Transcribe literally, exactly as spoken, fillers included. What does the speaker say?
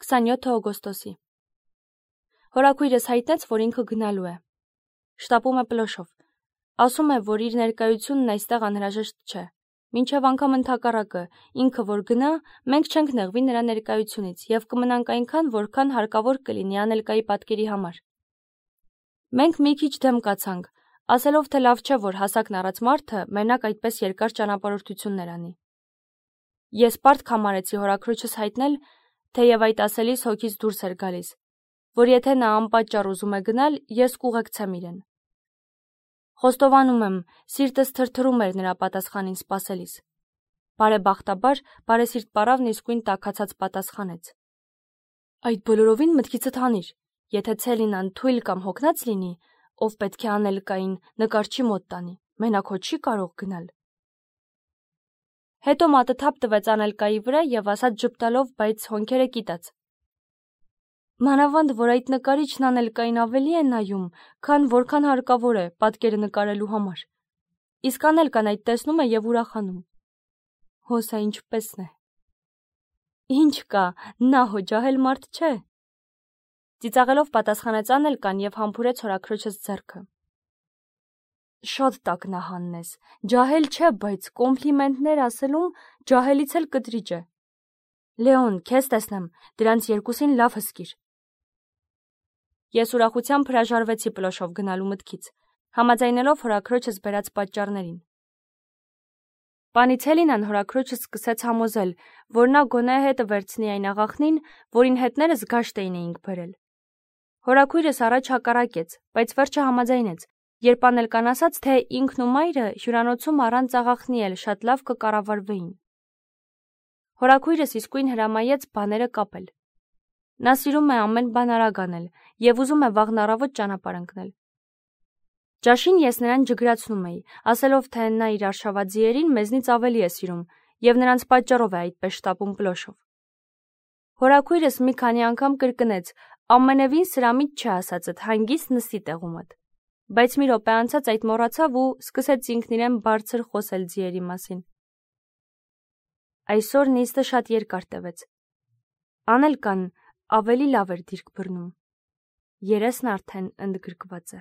քսանյոթ օգոստոսի։ Հորաքույրս հայտնեց, որ ինքը գնալու է։ Շտապում է Պլոշով։ Ասում է, որ իր ներկայությունն այստեղ անհրաժեշտ չէ։ Մինչև անգամ ընդհակառակը, ինքը որ գնա, մենք չենք նեղվի նրա ներկայությունից եւ կմնանք այնքան, որքան հարկավոր կլինի Անելկայի պատկերի համար։ Մենք մի քիչ դեմ կացանք, ասելով, թե լավ չէ, որ հասակն առած մարդը մենակ այդպես երկար ճանապարհորդություններ անի։ Ես պարտք համարեցի հորաքրոջս հայտնել, թեև այդ ասելիս հոգից դուրս էր գալիս, որ եթե նա անպատճառ ուզում է գնալ, ես կուղեկցեմ իրեն։ Խոստովանում եմ, սիրտս թրթռում էր նրա պատասխանին սպասելիս։ Բարեբախտաբար, բարեսիրտ պարավն իսկույն տաքացած պատասխանեց. Այդ բոլորովին մտքիցդ հանիր, եթե Ցելինան թույլ կամ հոգնած լինի, ով պետք է Անելկային նկարչի մոտ տանի, մենակ հո չի կարող գնալ։ Հետո մատը թափ տվեց Անելկայի վրա եւ ասաց ժպտալով, բայց հոնքերը կիտած. Մանավանդ, որ այդ նկարիչն Անելկային ավելի է նայում, քան որքան հարկավոր է պատկերը նկարելու համար։ Իսկ Անելկան այդ տեսնում է եւ ուրախանում։ Հոսա ինչպեսն է։ Ինչ կա, նա հո ջահել մարդ չէ։ Ծիծաղելով պատասխանեց Անելկան եւ համբուրեց հորաքրոջս ձեռքը։ Շատ տակնահանն ես, ջահել չէ, բայց կոմպլիմենտներ ասելում ջահելից էլ կտրիճ է։ Լեոն, քեզ տեսնեմ, դրանց երկուսին լավ հսկիր։ Ես ուրախությամբ հրաժարվեցի Պլոշով գնալու մտքից, համաձայնելով հորաքրոջս բերած պատճառներին։ Պանի Ցելինան հորաքրոջս սկսեց համոզել, որ նա գոնե հետը վերցնի այն աղախնին, որին հետներս գաշտ էինք բերել։ Հորաքույրս առաջ հակառակեց, բայց վերջը համաձայնեց, երբ Անելկան ասաց, թե ինքն ու մայրը հյուրանոցում առանց աղախնի էլ շատ լավ կկառավարվեին։ Հորաքույրս իսկույն հրամայեց բաները կապել։ Նա սիրում է ամեն բան արագ անել եւ ուզում է վաղն առավոտ ճանապարհ ընկնել։ Ճաշին ես նրան ջգրացնում էի, ասելով, թե նա իր արշավաձիերին մեզնից ավելի է սիրում եւ նրանց պատճառով է այդպես շտապում Պլոշով։ Հորաքույրս մի քանի անգամ կրկնեց. ամենևին սրամիտ չի ասածդ, հանգիստ նստի տեղումդ։ Բայց մի րոպե անցած այդ մոռացավ ու սկսեց ինքն իրեն բարձր խոսել ձիերի մասին։ Այսօր նիստը շատ երկար տևեց։ Անելկան ավելի լավ էր դիրք բռնում։ Երեսն արդեն ընդգրկված է։